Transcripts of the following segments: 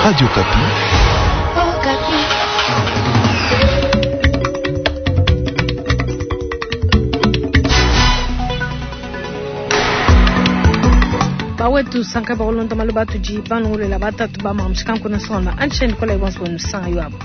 Radio Okapi. Bawetu sanka bakulonda malu atudi balongolola batatu ba mamushikanku nasonga anchen kola ibonso bonu yoabo.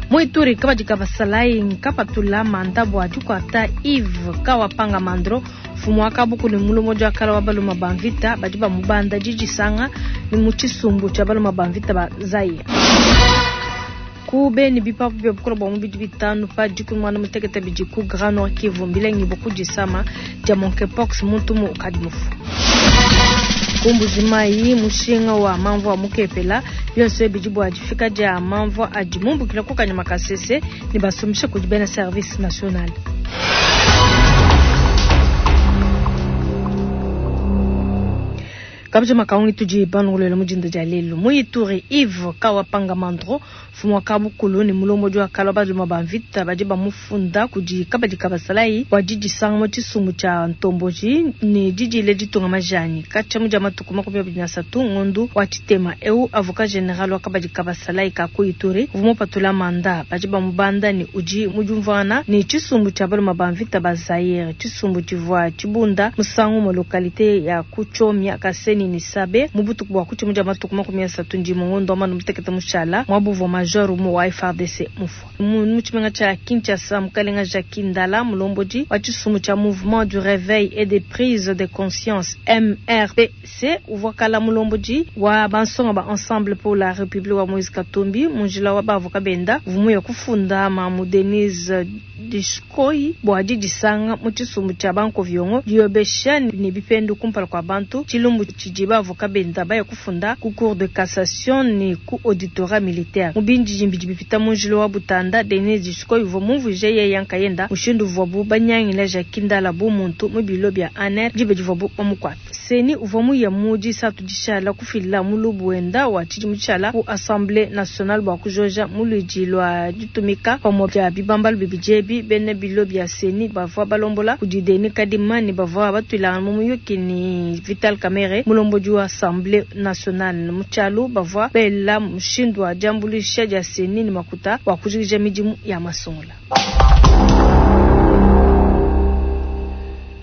Mu Ituri kabadi ka basalayi nkapatula manda bua dikuata Yves Kawapanga Mandro mfumu wa kabuku ne mulombodi wa kala wa baluma ba mvita badi bamubanda didisanga ne mu tshisumbu tshia baluma ba mvita ba Zaire. Ku Beni bipapu bia bukole bua mubidi bitanu pa dikumi muanda mutekete bidi ku Grand Nord Kivu mbilengibua ku disama dia monkeypox muntu umue ukadi mufue. Ku Mbuji-Mayi mushinga wa mamvua mukepela bionso ebi bidi bua difika dia mamvua adi mumbukila ku Kanyama Kasese ne basumbisha kudi bena service national. Kabidi makaungi tudi banongolola mu dinda dia lelu mu Ituri Yves Kawapanga Mandro mfumu wa kabukulu ne mulombodi wa kala baluma ba mvita badi bamufunda kudi kabadi ka basalayi bua didisanga mu tshisumbu tshia ntomboji ne didile ditunga majanyi katshia mu dia matuku 23 ngondu wa tshitema eu avocat general wa kabadi ka basalayi ka ku Ituri uvua mupatula manda badi bamubanda ne udi mu diumvuangana ne tshisumbu tshia baluma ba mvita ba Zaire tshisumbu tshivua tshibunda musangu mu localité ya ku Tchomia Kasenyi ne Sabe mu butuku bua ku tshimu dia matuku 31 ngondo wa muanda mutekete mushala muaba uvua major umue wa FARDC mufue. Mu tshimenga tshia Kinshasa, mukalenga Jacky Ndala mulombodi wa tshisumbu tshia Mouvement du Reveil et de Prise de Conscience MRPC uvua kala mulombodi wa bansonga ba Ensemble pour la Republique wa Moise Katumbi mu njila wa bavoka benda uvua muya kufunda mamu Denise Dishkoyi bua didisanga mu tshisumbu tshia bankoviongo diyobesha ne bipendu kumpala kua bantu tshilumbu tshidi bavoka benda baya kufunda ku cour de cassation ne ku auditorat militaire mu bindidimbi bidi bipita mu njila wa Butanda. Denise Dishkoyi uvua mumvuije yeya nkayenda mushindu uvuabu banyangila Jacky Ndala bu muntu mu bilo bia ANR diba divuabu bamukuata. CENI uvua muya mu disatu dishala kufila mulubu wenda wa tshidimu tshishala ku Assemblee nationale bua kujoja muluidi lua ditumika pamue dia bibambalu bibidi ebi. Bena bilo bia CENI bavua balombola kudi Denis Kadima ne bavua batuilangana mu muyuki ne Vital Kamerhe mulombodi wa Assemblee nationale. Mu tshialu bavua bela mushindu wa diambuluisha dia CENI ne makuta bua kujikija midimu ya masungula.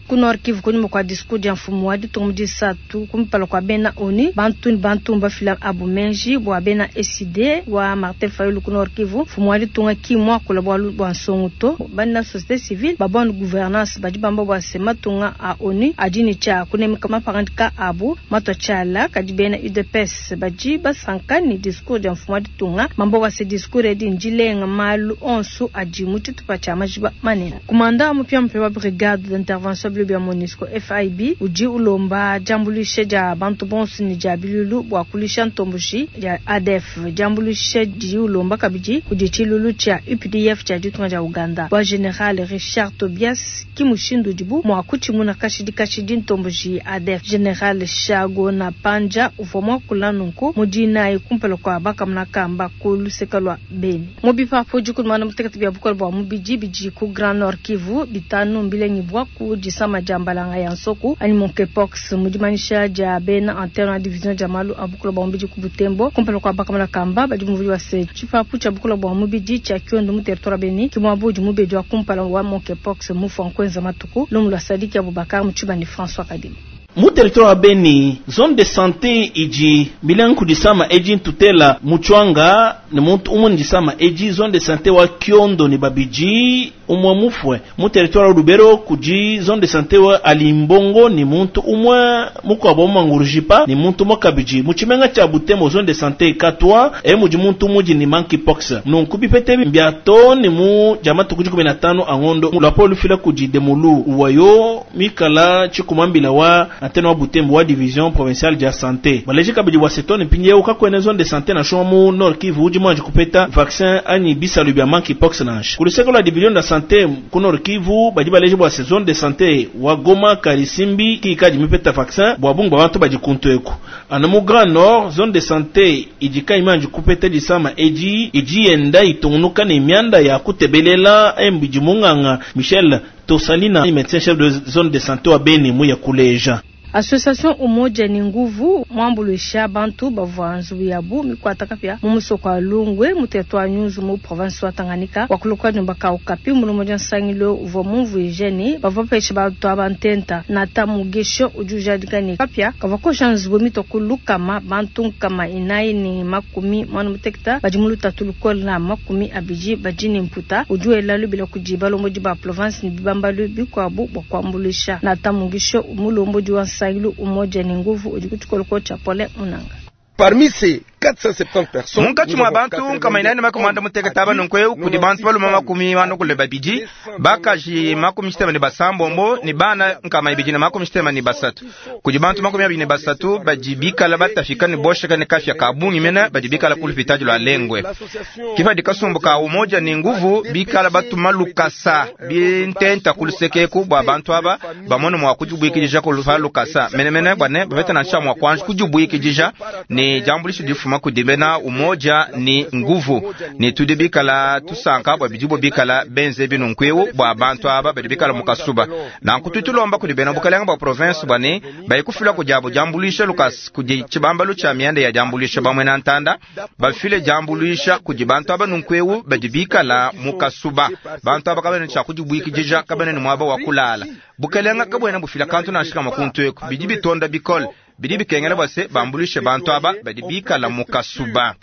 Ku Nord Kivu kunyima kua discours dia mfumu wa ditunga mu disatu kumpala kua bena ONU bantu ne bantu mbafila abu menji bua bena ECiDé wa Martin Fayulu ku Nord Kivu. Mfumu wa ditunga ki muakula bualu bua nsongo to bana société civile ba bonne gouvernance badi bamba bua se matunga a ONU adi ne tshia kunemeka mapangadika abu matua tshiala kadi bena UDPS badi basanka ne discours dia mfumu wa ditunga bamba bua se discours edi ndilenga malu onso adi mu tshitupa tshia majiba manene. Kumanda mupiamupia wa brigade d'intervention bilo bia MONUSCO FIB udi ulomba diambuluisha dia bantu bonso ne dia bilulu bua kulisha ntomboji dia ADF. Diambuluisha didi ulomba kabidi kudi tshilulu tshia UPDF tshia ditunga dia Uganda bua General Richard Tobias ki mushindu udibu mua kutshimuna kashidi kashidi ntomboji ADF. General Chagona Panja uvua muakula nunku mu dinayi kumpala kua bakamuna kamba ku luseka lua Beni. Mu bipapu 16 bia bukole bua mubidi bidi ku Grand Nord Kivu bitanu mbilengibua ku disama dia mbalanga ya nsoku anyi monkeypox mu dimanyisha dia bena antenne wa division dia malu a bukole bua mubidi ku Butembo kumpala kua bakamuna kamba badi muvudi wa se tshipapu tshia bukole bua mubidi tshia Kiondo mu territoire Beni ki muaba udi mubedi wa kumpala wa monkeypox mufua nkuenza matuku. Lumu lua Sadiki Abubakar mu Tshibandi François Kadima. Mu territoire wa Beni, zone de santé idi milenga ku disama edi ntutela muchwanga ne muntu umwe ndisama edi zone de santé wa Kiondo ne babidi umwe mufwe. Mu territoire wa Lubero kudi zone de santé wa Alimbongo ni muntu umwe mukwabo Mangurujipa ni muntu mokabidi. Mu tshimenga tshia Butembo zone de santé Katwa e mudi muntu mudi ni monkeypox. Nunku bipete mbia to ni mu jamatu kudi 15 angondo lwapo lufila kudi Demulu wayo mikala chikumambila wa antenne wa Butembo wa division provinciale de santé. Baleji kabidi wa setone mpindieu kakwene zone de santé na mu Nord Kivu udi mwanji kupeta vaccin anyi bisalu bya monkeypox nansha. Kuluseko la division de santé ku Nord Kivu badi baleji bwa zone de santé wa Goma Karisimbi ki kadi mipeta vaccin bwa bungu bantu badi kuntu eku. Ana mu Grand Nord zone de santé idika imanji kupeta disama edi idi yenda itungunuka ne mianda ya kutebelela embidi munganga Michel Tosalina médecin chef de zone de santé wa Beni mu ya kuleja. Association Umoja ni Nguvu muambuluisha bantu bavua nzubu yabu mikuata kapia mu musoko wa Lungwe mu territoire Nyunzu mu province wa Tanganyika wakuluka nyumba ka Okapi mulombodi nsangilo uvua mumvuije ne bavua bapeshe bantu aba ntenta Nata Mugesho udi ujadika ne kapia kavua kosha nzubu mitua ku lukama bantu 441 badi mu lutatu lukole na 20 badi ne mputa udi wela lubila kudi balombodi ba province ne bibambalu bikuabu bua kuambuluisha. Nata Mugisho mulombodi wa nsangilu Umoja ni Nguvu udi ku tshikoloko tshia Paulin Munanga. Parmi ces 470 personnes, munkatshi mua bantu 460 aba nunku kudi bantu balume 42, bakaji 66 ne bana 263. Kudi bantu 23 badi bikala batafika ne bosheka ne kafya ka bungi mena badi bikala ku lupitadi lua Lengwe. Kifadi kasumbu ka Umoja ni Nguvu bikala batuma lukasa bintenta ku lusekeku bua bantu aba bamone mua kudibuikidija ku lukasa menemene bua ne bapete nansha mua kuanji kudibuikidija ne diambuluisha difuma kudi bena Umoja ni Nguvu. Ne tudi bikala tusanka bua bidibo bikala benze binunku bua bantu aba badi bikala mu kasuba. Nanku tutulomba kudi bena bukalenga bua province bua ne bayikufila kudiabo diambuluisha lukasa kudi tshibambalu tshia mianda ya diambuluisha bamwe na ntanda bafile diambuluisha kudi bantu aba nunku badi bikala mu kasuba. Bantu aba kabene tshia kudibuikidija kabene ne muaba wa kulala. Bukalenga kabwena bufila kantu nansha makuntu eku bidi bitonda bikole bidi bikengela bwase bambulishe bantu aba badi bikala mu kasuba.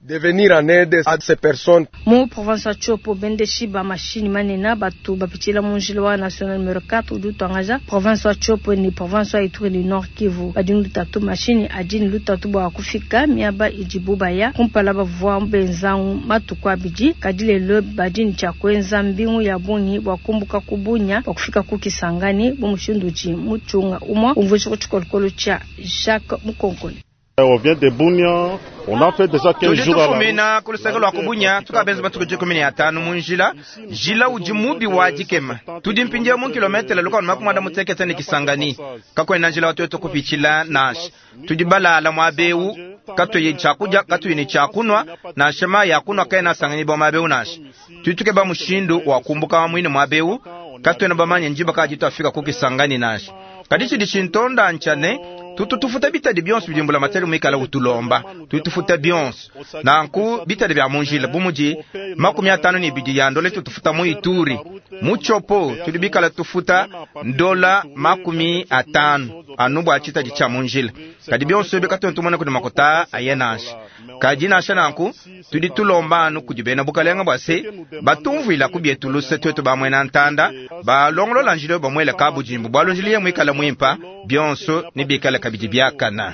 De venir en aide à ces personnes. Mu province ya Tshopo bendeshi ba mashini manena batu bapitshila mu njila wa national numero 4 udi utuangaja province ya Tshopo ni province ya Ituri ni Nord Kivu. Badi lutatu mashini adi ni lutatu bua kufika miaba idibu baya kumpala bavua benzangu matuku abidi kadi lelo badi ni tshia kuenza mbingu ya bungi bua kumbuka kubunya bua kufika ku Kisangani bu mushindu udi mutshunga umua umvuisha ku tshikolokolo tshia Jacques Mukonkole. On vient de Bunia, on a fait déjà 15 jours à la Tufumina ku luseke lua kubunya tukabenza matuku 15 mu njila njila udi mubi wa dikema tudi mpindia mu kilometele lukanu makumada mutekete ne Kisangani kakwena njila watu kupitshila nansha tudi balala mwabeu katuyi tshakudia katuyi ne tshakunwa nansha mayi ya kunwa kaena sangani ba mwabeu nansha tuituke ba mushindu wa kumbuka mwine mwabeu katuena bamanye njiba kaji tuafika ku Kisangani nansha kadi tshidi tshintonda ntshane tututufuta bitadi bionso bidimbula matele mwikala utulomba tutufuta bionso nanku bitadi bya munjila bumudi 52 ya ndole tutufuta mu Ituri mu Tshopo tudi bikala tufuta ndola 50 anu bua tshitadi tshia munjila kadi bionso bikatu tumona kudi makota aye nansha kadi nansha nanku tudi tulomba anu kudi bena bukalenga bua se batumvuila kubietu luse twetu bamwena ntanda balongolola njila bamwele kabudimbu bwalo njila ye mwikala mwimpa bionso ni bikala kabidi biakana.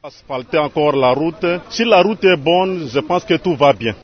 Asphalter encore la route. Si la route est bonne, je pense que tout va bien.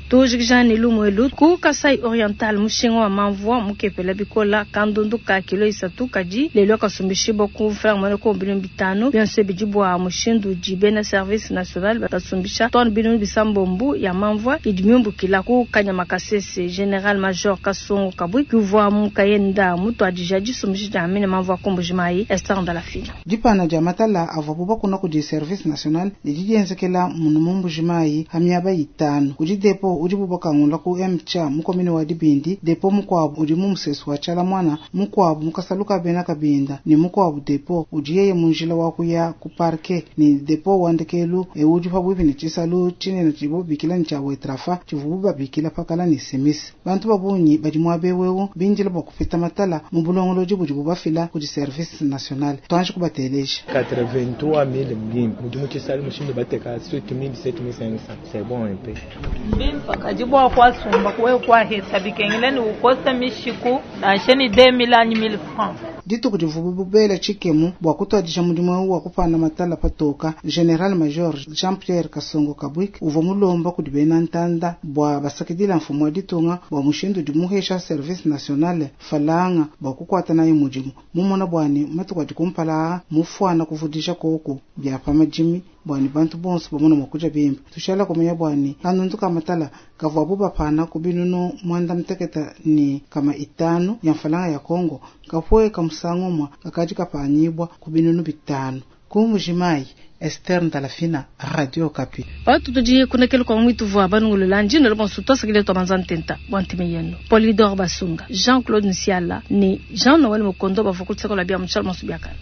Tujikija ne lumwelu ku Kasai Oriental mushinga wa mamvua mukepela bikola kandundu ka kilo 3 kadi lelo kasumbishibwa ku mfranga mwana ko 500 bionso bidi bua mushindu di bena service national basumbisha ton binu bisambombu ya mamvua idi miumbukila ku Kanyama Kasese. General Major Kasongo Kabwi kuvua mukayenda mutu adija disumbisha dia mine mamvua kumbujimayi Esther Ndalafina. Dipana dia matala avua bakuna kudi service national didi dienzekela munu mumbujimayi hamiaba 5 kudi depo udi bubakangula ku MCA mukomine wa Dibindi depo mukwabu udi mu musesu wa tshala mwana mukwabu mukasaluka bena kabinda ni mukwabu depo udi yeye munjila wa kuya ku parke ni depo wandekelu udi pabwipi ni tshisalu tshinene tshibubikila ni tshia wetrafa tshivubu babikila pakala ni simisi bantu babunyi badi muabewewu binjila bua kupita matala mu bulongolodi budi bubafila kudi service national tuanji kubateleja 83000 mbimbi mudi mu tshisalu mushindu bateka 7000 7500 c'est bon un peu mbimpa kadi bua kwasumba kuwe kwahesa bikengela ni ukosa mishiku nansha ni 2000 anyi 1000 francs dituku divubu bubela tshikemu bua kutuadija mudimu wa kupana matala patoka. General Major Jean Pierre Kasongo Kabwik uvua mulomba kudi bena ntanda bua basakidila mfumu wa ditunga bua mushindu dimuhesha service national falanga bua kukuata naye mudimu mumona bwani matuku adi kumpala mufuana kuvudisha koko bya pa madimi bwani bantu bonso bamona mwakuja bimba tushala kumenya bwani kanundu kamatala kavuabu bapana kubinunu mwanda mteketa ni kama 5 ya mfalanga ya Kongo kapwe kamusangomwa kakadi kapanyibwa kubinunu 5 kumujimai. Esther Ndalafina, Radio Okapi. Patu tudi kunekelu kwa mwitu vwa banungulula njino lo bonso twasakile twa banza ntenta bwa ntime yenu. Polydor Basunga, Jean-Claude Nsiala ni Jean-Noël Mukondo bavua kutseko la bia mutshala monso biakala.